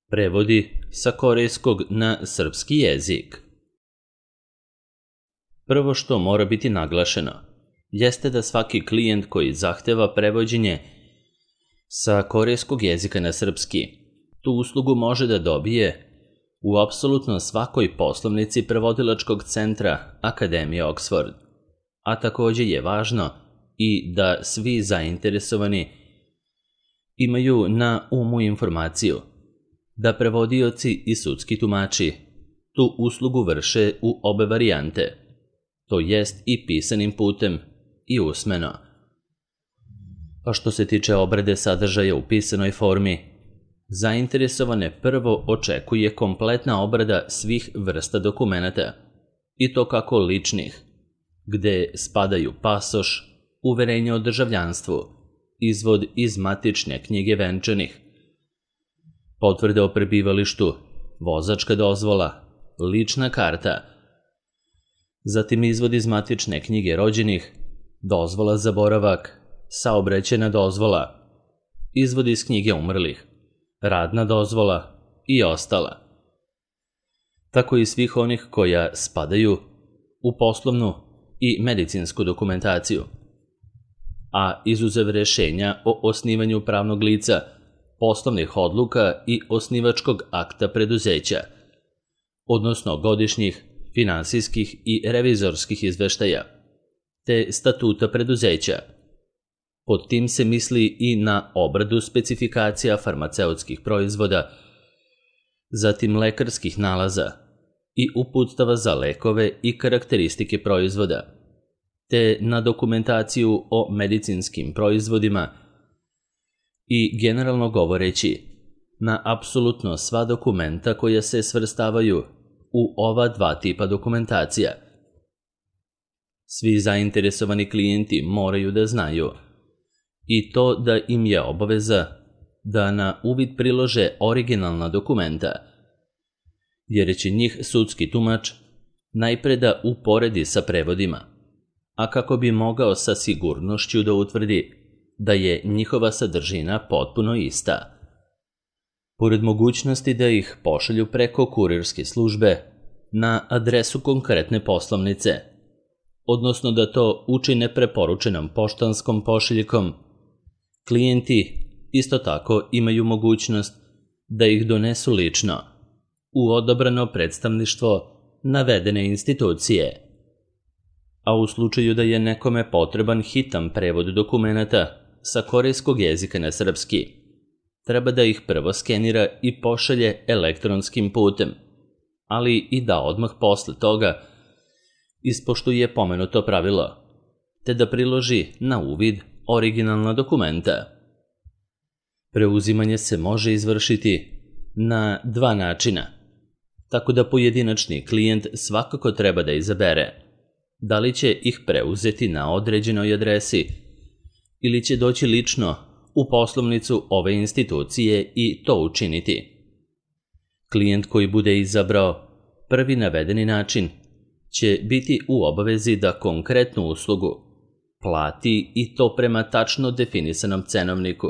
Prevodi sa korejskog na srpski jezik. Prvo što mora biti naglašeno jeste da svaki klijent koji zahteva prevođenje sa korejskog jezika na srpski tu uslugu može da dobije u apsolutno svakoj poslovnici prevodilačkog centra Akademije Oxford, a takođe je važno i da svi zainteresovani imaju na umu informaciju da prevodioci i sudski tumači tu uslugu vrše u obe varijante, to jest i pisanim putem i usmeno. A što se tiče obrade sadržaja u pisanoj formi, zainteresovane prvo očekuje kompletna obrada svih vrsta dokumenata, i to kako ličnih, gde spadaju pasoš, uverenje o državljanstvu, izvod iz matične knjige venčanih, potvrde o prebivalištu, vozačka dozvola, lična karta, zatim izvod iz matične knjige rođenih, dozvola za boravak, saobraćajna dozvola, izvod iz knjige umrlih, radna dozvola i ostala. Tako i svih onih koja spadaju u poslovnu i medicinsku dokumentaciju, a izuzev rešenja o osnivanju pravnog lica, poslovnih odluka i osnivačkog akta preduzeća, odnosno godišnjih, finansijskih i revizorskih izveštaja, te statuta preduzeća. Pod tim se misli i na obradu specifikacija farmaceutskih proizvoda, zatim lekarskih nalaza i uputstava za lekove i karakteristike proizvoda, te na dokumentaciju o medicinskim proizvodima i, generalno govoreći, na apsolutno sva dokumenta koja se svrstavaju u ova dva tipa dokumentacija. Svi zainteresovani klijenti moraju da znaju i to da im je obaveza da na uvid prilože originalna dokumenta, jer će njih sudski tumač najpre da uporedi sa prevodima, a kako bi mogao sa sigurnošću da utvrdi da je njihova sadržina potpuno ista. Pored mogućnosti da ih pošalju preko kurirske službe na adresu konkretne poslovnice, odnosno da to učine preporučenom poštanskom pošiljkom, klijenti isto tako imaju mogućnost da ih donesu lično u odabrano predstavništvo navedene institucije. A u slučaju da je nekome potreban hitan prevod dokumenata sa korejskog jezika na srpski, treba da ih prvo skenira i pošalje elektronskim putem, ali i da odmah posle toga ispoštuje pomenuto pravilo, te da priloži na uvid originalna dokumenta. Preuzimanje se može izvršiti na dva načina, tako da pojedinačni klijent svakako treba da izabere da li će ih preuzeti na određenoj adresi ili će doći lično u poslovnicu ove institucije i to učiniti. Klijent koji bude izabrao prvi navedeni način će biti u obavezi da konkretnu uslugu plati i to prema tačno definisanom cenovniku,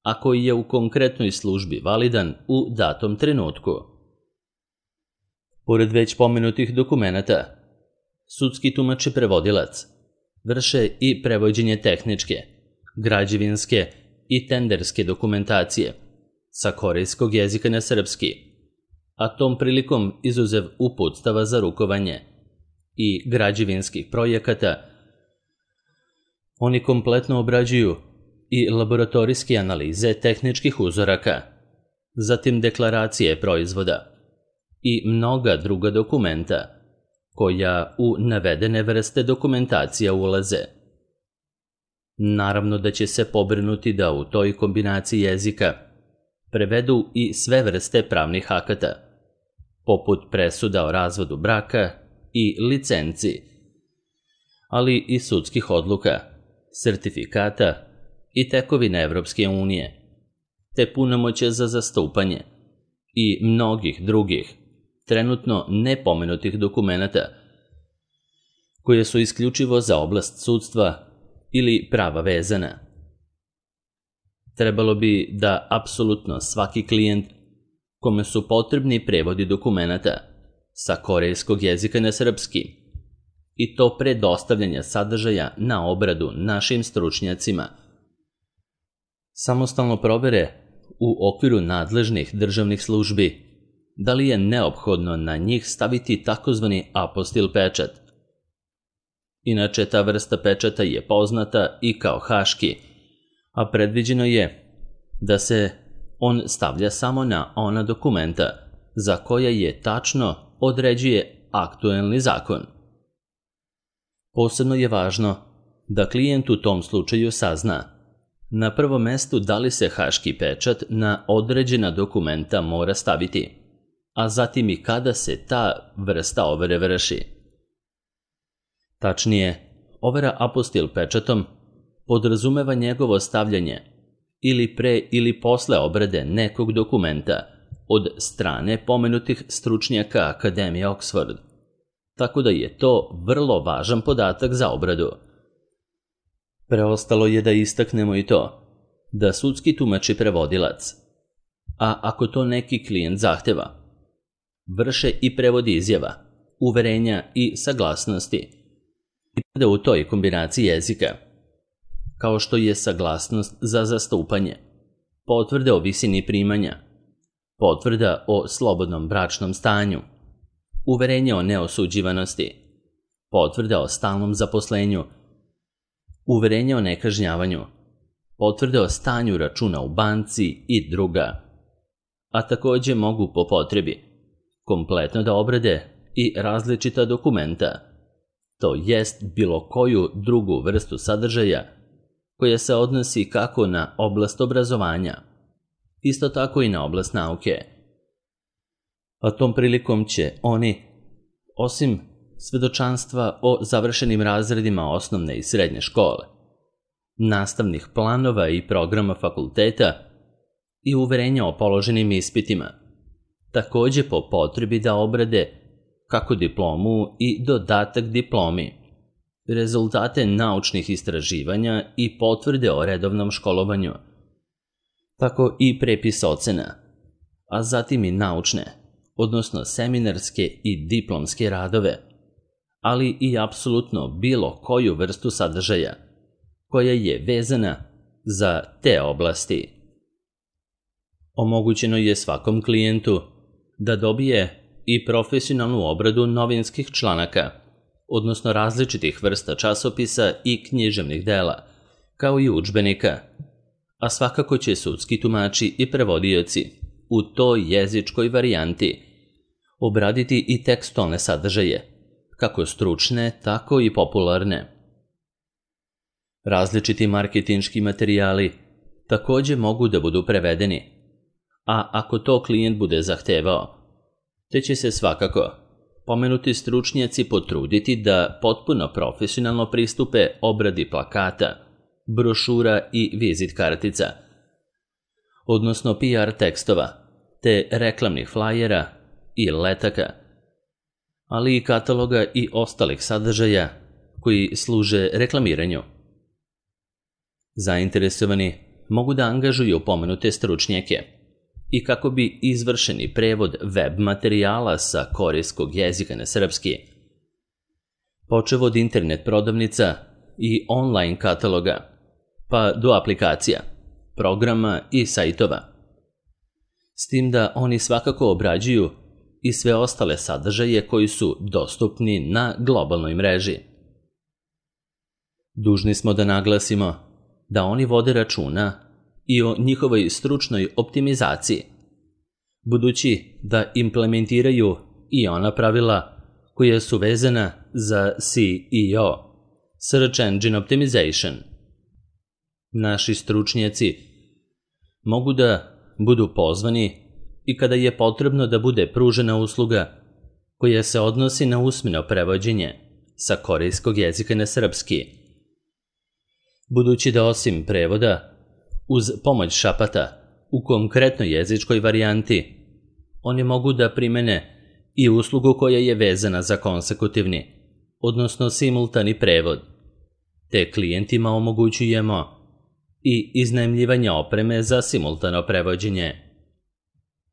a koji je u konkretnoj službi validan u datom trenutku. Pored već pomenutih dokumenata, sudski tumač i prevodilac vrše i prevođenje tehničke, građevinske i tenderske dokumentacije sa korejskog jezika na srpski, a tom prilikom izuzev uputstava za rukovanje i građevinskih projekata, oni kompletno obrađuju i laboratorijske analize tehničkih uzoraka, zatim deklaracije proizvoda i mnoga druga dokumenta koja u navedene vrste dokumentacija ulaze. Naravno da će se pobrinuti da u toj kombinaciji jezika prevedu i sve vrste pravnih akata, poput presuda o razvodu braka i licenci, ali i sudskih odluka, sertifikata i tekovine Evropske unije, te punomoćja za zastupanje i mnogih drugih, trenutno nepomenutih dokumenata, koje su isključivo za oblast sudstva ili prava vezana. Trebalo bi da apsolutno svaki klijent kome su potrebni prevodi dokumenata sa korejskog jezika na srpski, i to pre dostavljanja sadržaja na obradu našim stručnjacima. Samostalno provere u okviru nadležnih državnih službi da li je neophodno na njih staviti takozvani apostil pečat. Inače, ta vrsta pečata je poznata i kao haški, a predviđeno je da se on stavlja samo na ona dokumenta za koja je tačno određuje aktuelni zakon. Posebno je važno da klijent u tom slučaju sazna na prvom mestu da li se haški pečat na određena dokumenta mora staviti, a zatim i kada se ta vrsta overe vrši. Tačnije, overa apostil pečatom podrazumeva njegovo stavljanje ili pre ili posle obrade nekog dokumenta od strane pomenutih stručnjaka Akademije Oxford, tako da je to vrlo važan podatak za obradu. Preostalo je da istaknemo i to da sudski tumač i prevodilac, a ako to neki klijent zahteva, vrše i prevod izjava, uverenja i saglasnosti i u toj kombinaciji jezika, kao što je saglasnost za zastupanje, potvrda o visini primanja, potvrda o slobodnom bračnom stanju, uverenje o neosuđivanosti, potvrda o stalnom zaposlenju, uverenje o nekažnjavanju, potvrde o stanju računa u banci i druga, a takođe mogu po potrebi kompletno da obrade i različita dokumenta, to jest bilo koju drugu vrstu sadržaja koja se odnosi kako na oblast obrazovanja, isto tako i na oblast nauke. A tom prilikom će oni, osim svedočanstva o završenim razredima osnovne i srednje škole, nastavnih planova i programa fakulteta i uverenja o položenim ispitima, takođe po potrebi da obrade kako diplomu i dodatak diplomi, rezultate naučnih istraživanja i potvrde o redovnom školovanju, tako i prepis ocena, a zatim i naučne, odnosno seminarske i diplomske radove, ali i apsolutno bilo koju vrstu sadržaja koja je vezana za te oblasti. Omogućeno je svakom klijentu da dobije i profesionalnu obradu novinskih članaka, odnosno različitih vrsta časopisa i književnih dela, kao i udžbenika, a svakako će sudski tumači i prevodioci u toj jezičkoj varijanti obraditi i tekstualne sadržaje, kako stručne, tako i popularne. Različiti marketinški materijali takođe mogu da budu prevedeni, a ako to klijent bude zahtevao, te će se svakako pomenuti stručnjaci potruditi da potpuno profesionalno pristupe obradi plakata, brošura i vizit kartica, odnosno PR tekstova, te reklamnih flajera i letaka, ali i kataloga i ostalih sadržaja koji služe reklamiranju. Zainteresovani mogu da angažuju pomenute stručnjake i kako bi izvršeni prevod web materijala sa korejskog jezika na srpski, počev od internet prodavnica i online kataloga, pa do aplikacija, programa i sajtova. S tim da oni svakako obrađuju i sve ostale sadržaje koji su dostupni na globalnoj mreži. Dužni smo da naglasimo da oni vode računa i o njihovoj stručnoj optimizaciji, budući da implementiraju i ona pravila koja su vezana za SEO, Search Engine Optimization. Naši stručnjaci mogu da budu pozvani i kada je potrebno da bude pružena usluga koja se odnosi na usmeno prevođenje sa korejskog jezika na srpski, budući da osim prevoda, uz pomoć šapata u konkretnoj jezičkoj varijanti, oni mogu da primene i uslugu koja je vezana za konsekutivni, odnosno simultani prevod, te klijentima omogućujemo i iznajmljivanje opreme za simultano prevođenje.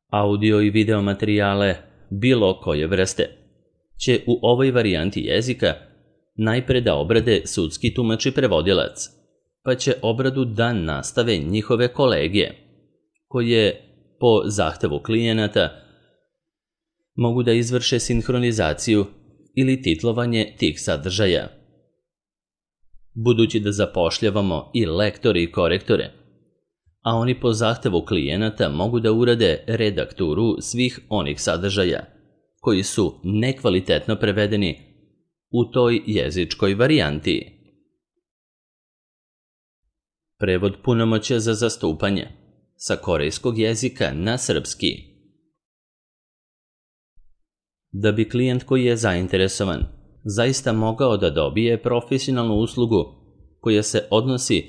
Audio i video materijale bilo koje vrste će u ovoj varijanti jezika najpre da obrade sudski tumač i prevodilac, pa će obradu da nastave njihove kolege, koje po zahtevu klijenata mogu da izvrše sinhronizaciju ili titlovanje tih sadržaja. Budući da zapošljavamo i lektore i korektore, a oni po zahtevu klijenata mogu da urade redakturu svih onih sadržaja koji su nekvalitetno prevedeni u toj jezičkoj varijanti. Prevod punomoćja za zastupanje sa korejskog jezika na srpski. Da bi klijent koji je zainteresovan zaista mogao da dobije profesionalnu uslugu koja se odnosi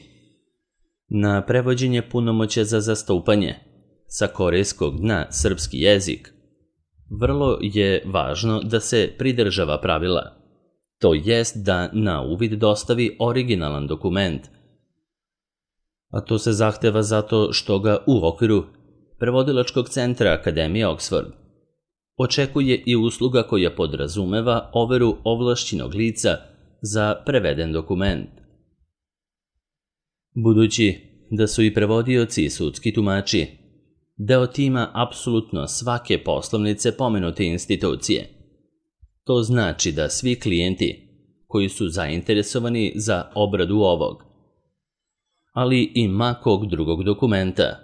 na prevođenje punomoćja za zastupanje sa korejskog na srpski jezik, vrlo je važno da se pridržava pravila, to jest da na uvid dostavi originalan dokument, a to se zahteva zato što ga u okviru Prevodilačkog centra Akademije Oxford očekuje i usluga koja podrazumeva overu ovlašćenog lica za preveden dokument. Budući da su i prevodioci i sudski tumači deo tima apsolutno svake poslovnice pomenute institucije, to znači da svi klijenti koji su zainteresovani za obradu ovog, ali i makog drugog dokumenta,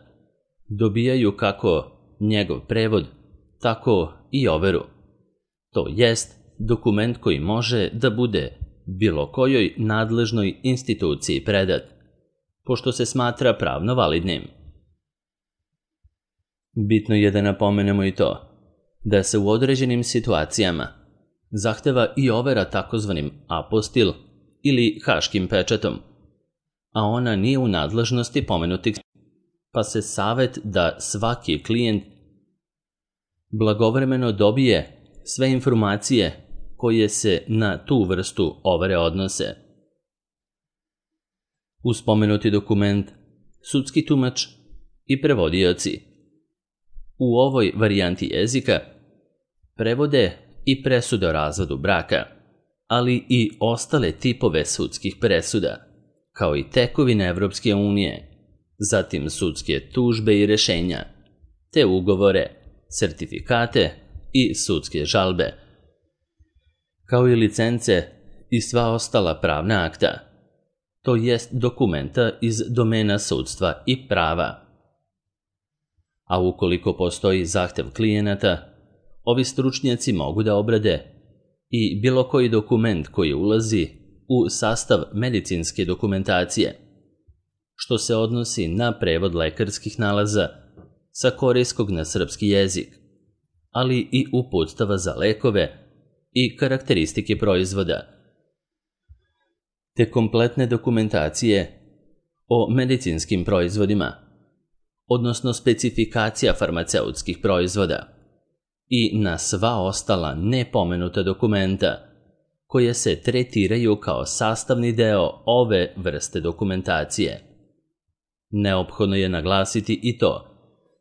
dobijaju kako njegov prevod, tako i overu. To jest dokument koji može da bude bilo kojoj nadležnoj instituciji predat, pošto se smatra pravno validnim. Bitno je da napomenemo i to da se u određenim situacijama zahteva i overa takozvanim apostil ili haškim pečatom, a ona nije u nadležnosti pomenutih, pa se savet da svaki klijent blagovremeno dobije sve informacije koje se na tu vrstu overe odnose. Uz spomenuti dokument, sudski tumač i prevodioci u ovoj varijanti jezika prevode i presude o razvodu braka, ali i ostale tipove sudskih presuda, kao i tekovine Evropske unije, zatim sudske tužbe i rešenja, te ugovore, sertifikate i sudske žalbe, kao i licence i sva ostala pravna akta, to jest dokumenta iz domena sudstva i prava. A ukoliko postoji zahtev klijenata, ovi stručnjaci mogu da obrade i bilo koji dokument koji ulazi u sastav medicinske dokumentacije, što se odnosi na prevod lekarskih nalaza sa korejskog na srpski jezik, ali i uputstava za lekove i karakteristike proizvoda, te kompletne dokumentacije o medicinskim proizvodima, odnosno specifikacija farmaceutskih proizvoda i na sva ostala nepomenuta dokumenta koje se tretiraju kao sastavni deo ove vrste dokumentacije. Neophodno je naglasiti i to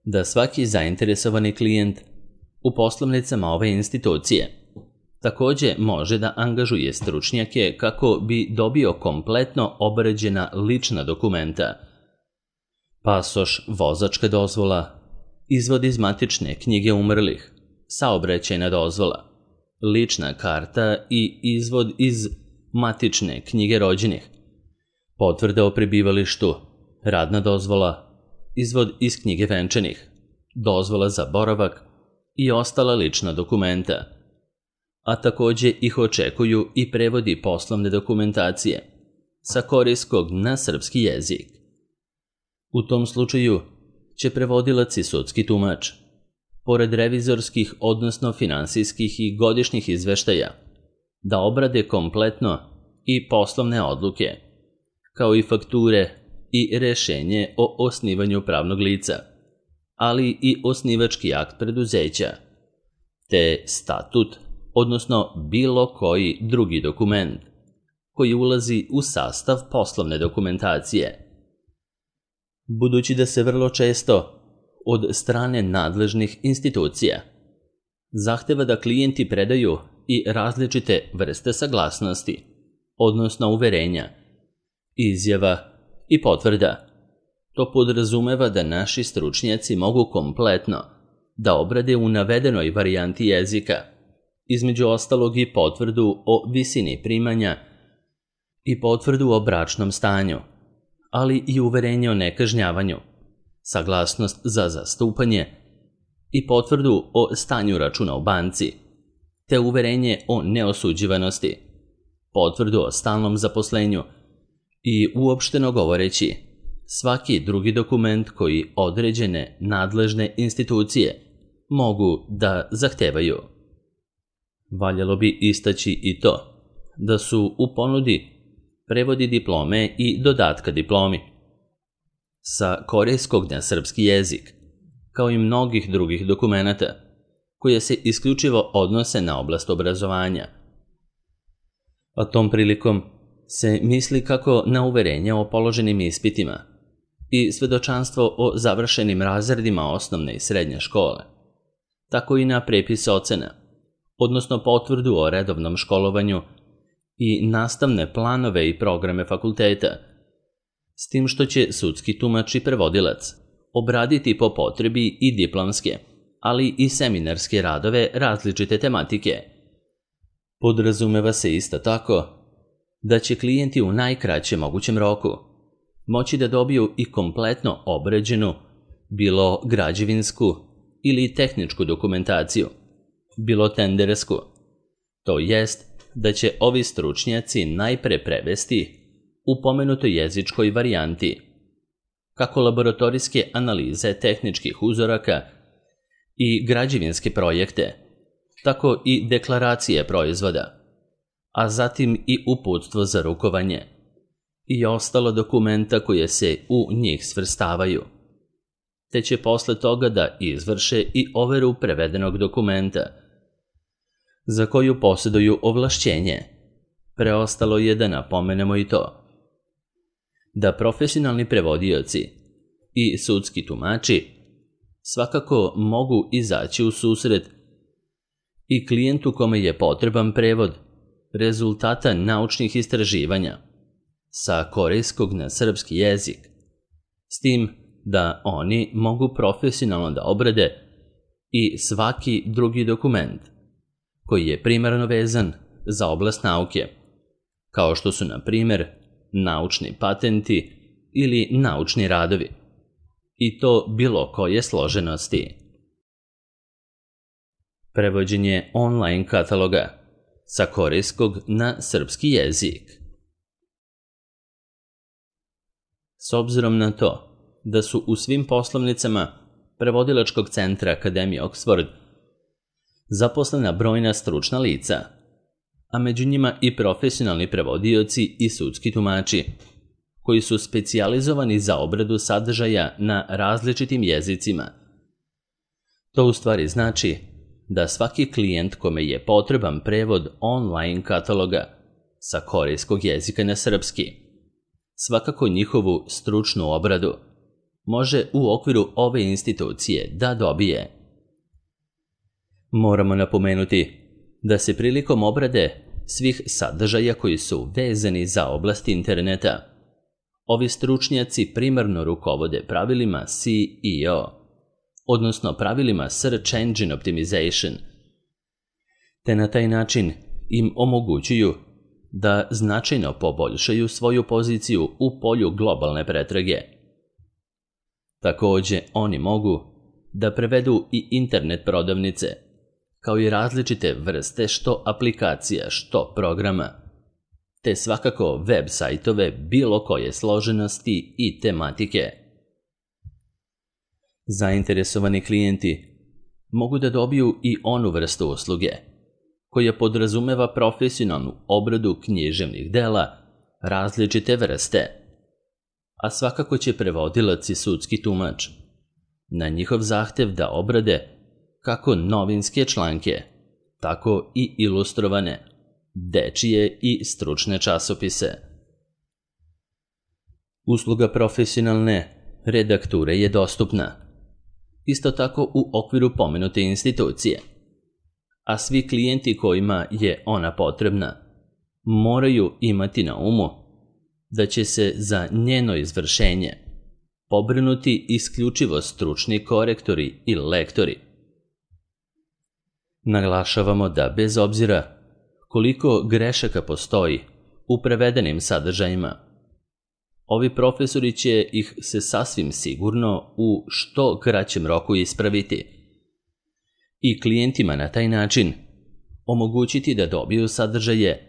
da svaki zainteresovani klijent u poslovnicama ove institucije takođe može da angažuje stručnjake kako bi dobio kompletno obrađena lična dokumenta, pasoš, vozačka dozvola, izvod iz matične knjige umrlih, saobraćajna dozvola, lična karta i izvod iz matične knjige rođenih, potvrda o prebivalištu, radna dozvola, izvod iz knjige venčanih, dozvola za boravak i ostala lična dokumenta, a takođe ih očekuju i prevodi poslovne dokumentacije sa korejskog na srpski jezik. U tom slučaju će prevodilac i sudski tumač, pored revizorskih odnosno finansijskih i godišnjih izveštaja, da obrade kompletno i poslovne odluke, kao i fakture i rešenje o osnivanju pravnog lica, ali i osnivački akt preduzeća, te statut, odnosno bilo koji drugi dokument koji ulazi u sastav poslovne dokumentacije. Budući da se vrlo često od strane nadležnih institucija. Zahteva da klijenti predaju i različite vrste saglasnosti, odnosno uverenja, izjava i potvrda. To podrazumeva da naši stručnjaci mogu kompletno da obrade u navedenoj varijanti jezika, između ostalog i potvrdu o visini primanja i potvrdu o bračnom stanju, ali i uverenje o nekažnjavanju, saglasnost za zastupanje i potvrdu o stanju računa u banci, te uverenje o neosuđivanosti, potvrdu o stalnom zaposlenju i uopšteno govoreći svaki drugi dokument koji određene nadležne institucije mogu da zahtevaju. Valjalo bi istaći i to da su u ponudi prevodi diplome i dodatka diplomi sa korejskog na srpski jezik, kao i mnogih drugih dokumenata koje se isključivo odnose na oblast obrazovanja. A tom prilikom se misli kako na uverenje o položenim ispitima i svedočanstvo o završenim razredima osnovne i srednje škole, tako i na prepis ocena, odnosno potvrdu o redovnom školovanju i nastavne planove i programe fakulteta, s tim što će sudski tumač i prevodilac obraditi po potrebi i diplomske, ali i seminarske radove različite tematike. Podrazumeva se isto tako da će klijenti u najkraćem mogućem roku moći da dobiju i kompletno obrađenu, bilo građevinsku ili tehničku dokumentaciju, bilo tendersku. To jest da će ovi stručnjaci najpre prevesti u pomenutoj jezičkoj varijanti kako laboratorijske analize tehničkih uzoraka i građevinske projekte, tako i deklaracije proizvoda, a zatim i uputstvo za rukovanje i ostala dokumenta koje se u njih svrstavaju, te će posle toga da izvrše i overu prevedenog dokumenta, za koju posjeduju ovlašćenje. Preostalo je da napomenemo i to da profesionalni prevodioci i sudski tumači svakako mogu izaći u susret i klijentu kome je potreban prevod rezultata naučnih istraživanja sa korejskog na srpski jezik, s tim da oni mogu profesionalno da obrade i svaki drugi dokument koji je primarno vezan za oblast nauke, kao što su, na primjer, naučni patenti ili naučni radovi, i to bilo koje složenosti. Prevođenje online kataloga sa korejskog na srpski jezik. S obzirom na to da su u svim poslovnicama prevodilačkog centra Akademije Oxford zaposlena brojna stručna lica, a među njima i profesionalni prevodioci i sudski tumači, koji su specijalizovani za obradu sadržaja na različitim jezicima. To u stvari znači da svaki klijent kome je potreban prevod online kataloga sa korejskog jezika na srpski, svakako njihovu stručnu obradu može u okviru ove institucije da dobije. Moramo napomenuti da se prilikom obrade svih sadržaja koji su vezani za oblast interneta, ovi stručnjaci primarno rukovode pravilima SEO, odnosno pravilima Search Engine Optimization, te na taj način im omogućuju da značajno poboljšaju svoju poziciju u polju globalne pretrage. Takođe, oni mogu da prevedu i internet prodavnice, kao i različite vrste što aplikacija, što programa, te svakako web sajtove bilo koje složenosti i tematike. Zainteresovani klijenti mogu da dobiju i onu vrstu usluge koja podrazumeva profesionalnu obradu književnih dela različite vrste, a svakako će prevodilac i sudski tumač na njihov zahtev da obrade kako novinske članke, tako i ilustrovane, dečije i stručne časopise. Usluga profesionalne redakture je dostupna isto tako u okviru pomenute institucije. A svi klijenti kojima je ona potrebna moraju imati na umu da će se za njeno izvršenje pobrinuti isključivo stručni korektori i lektori. Naglašavamo da bez obzira koliko grešaka postoji u prevedenim sadržajima, ovi profesori će ih se sasvim sigurno u što kraćem roku ispraviti i klijentima na taj način omogućiti da dobiju sadržaje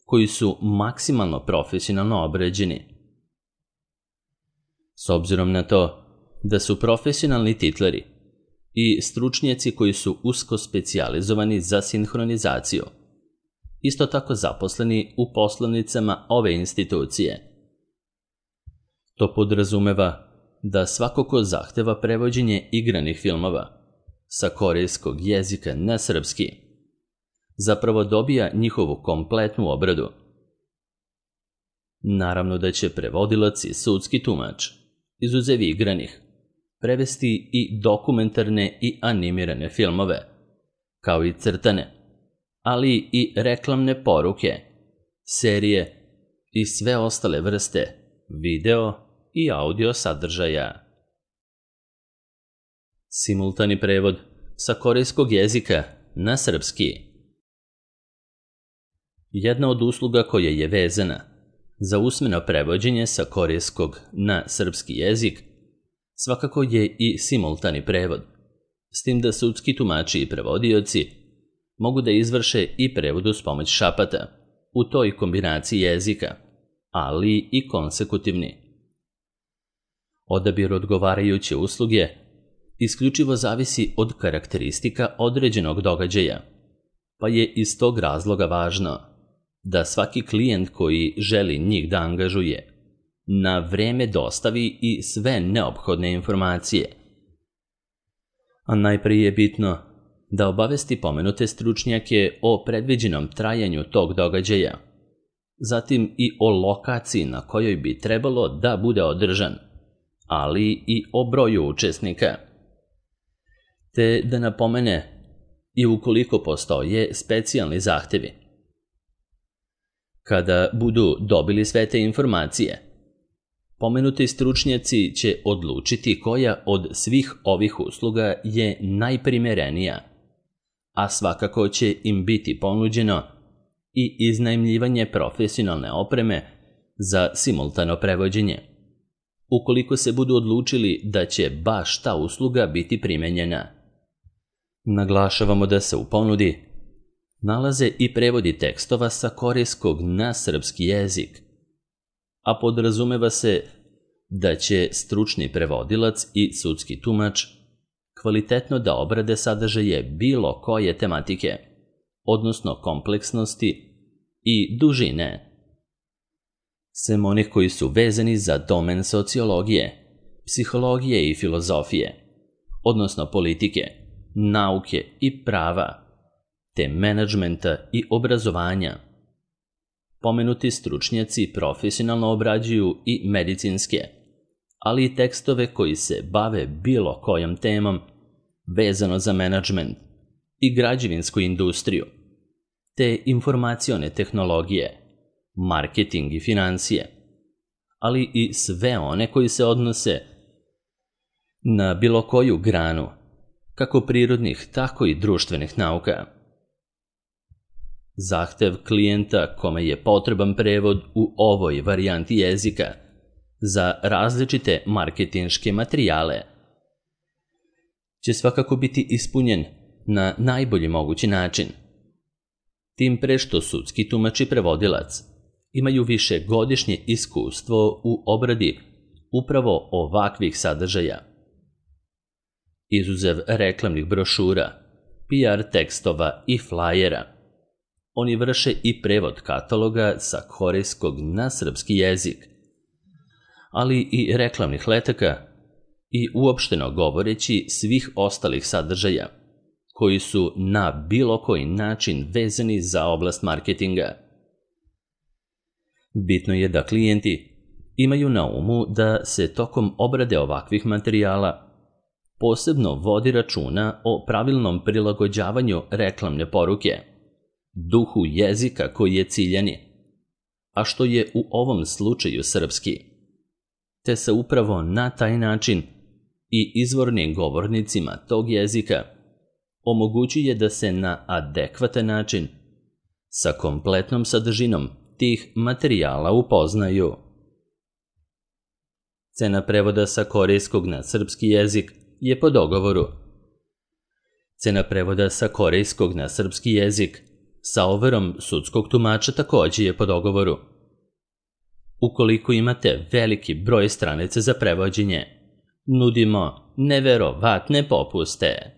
koji su maksimalno profesionalno obrađeni. S obzirom na to da su profesionalni titleri i stručnjaci koji su usko specijalizovani za sinhronizaciju isto tako zaposleni u poslovnicama ove institucije. To podrazumeva da svako ko zahteva prevođenje igranih filmova sa korejskog jezika na srpski zapravo dobija njihovu kompletnu obradu. Naravno da će prevodilac i sudski tumač, izuzev igranih, prevesti i dokumentarne i animirane filmove, kao i crtane, ali i reklamne poruke, serije i sve ostale vrste video i audio sadržaja. Simultani prevod sa korejskog jezika na srpski. Jedna od usluga koja je vezana za usmeno prevođenje sa korejskog na srpski jezik svakako je i simultani prevod, s tim da sudski tumači i prevodioci mogu da izvrše i prevod uz pomoć šapata u toj kombinaciji jezika, ali i konsekutivni. Odabir odgovarajuće usluge isključivo zavisi od karakteristika određenog događaja, pa je iz tog razloga važno da svaki klijent koji želi njih da angažuje na vreme dostavi i sve neophodne informacije. A najprije je bitno da obavesti pomenute stručnjake o predviđenom trajanju tog događaja, zatim i o lokaciji na kojoj bi trebalo da bude održan, ali i o broju učesnika, te da napomene i ukoliko postoje specijalni zahtevi. Kada budu dobili sve te informacije, pomenuti stručnjaci će odlučiti koja od svih ovih usluga je najprimerenija, a svakako će im biti ponuđeno i iznajmljivanje profesionalne opreme za simultano prevođenje, ukoliko se budu odlučili da će baš ta usluga biti primenjena. Naglašavamo da se u ponudi nalaze i prevodi tekstova sa korejskog na srpski jezik, a podrazumeva se da će stručni prevodilac i sudski tumač kvalitetno da obrade sadržaje bilo koje tematike, odnosno kompleksnosti i dužine. Sem onih koji su vezani za domen sociologije, psihologije i filozofije, odnosno politike, nauke i prava, te menadžmenta i obrazovanja. Pomenuti stručnjaci profesionalno obrađuju i medicinske, ali i tekstove koji se bave bilo kojom temom vezano za menadžment i građevinsku industriju, te informacione tehnologije, marketing i financije, ali i sve one koji se odnose na bilo koju granu, kako prirodnih, tako i društvenih nauka. Zahtev klijenta kome je potreban prevod u ovoj varijanti jezika za različite marketinške materijale će svakako biti ispunjen na najbolji mogući način. Tim pre što sudski tumač i prevodilac imaju višegodišnje iskustvo u obradi upravo ovakvih sadržaja. Izuzev reklamnih brošura, PR tekstova i flajera, oni vrše i prevod kataloga sa korejskog na srpski jezik, ali i reklamnih letaka i uopšteno govoreći svih ostalih sadržaja koji su na bilo koji način vezani za oblast marketinga. Bitno je da klijenti imaju na umu da se tokom obrade ovakvih materijala posebno vodi računa o pravilnom prilagođavanju reklamne poruke, duhu jezika koji je ciljani, a što je u ovom slučaju srpski, te se upravo na taj način i izvornim govornicima tog jezika omogućuje da se na adekvatan način sa kompletnom sadržinom tih materijala upoznaju. Cena prevoda sa korejskog na srpski jezik je po dogovoru. Cena prevoda sa korejskog na srpski jezik sa overom sudskog tumača takođe je po dogovoru. Ukoliko imate veliki broj stranica za prevođenje, nudimo neverovatne popuste.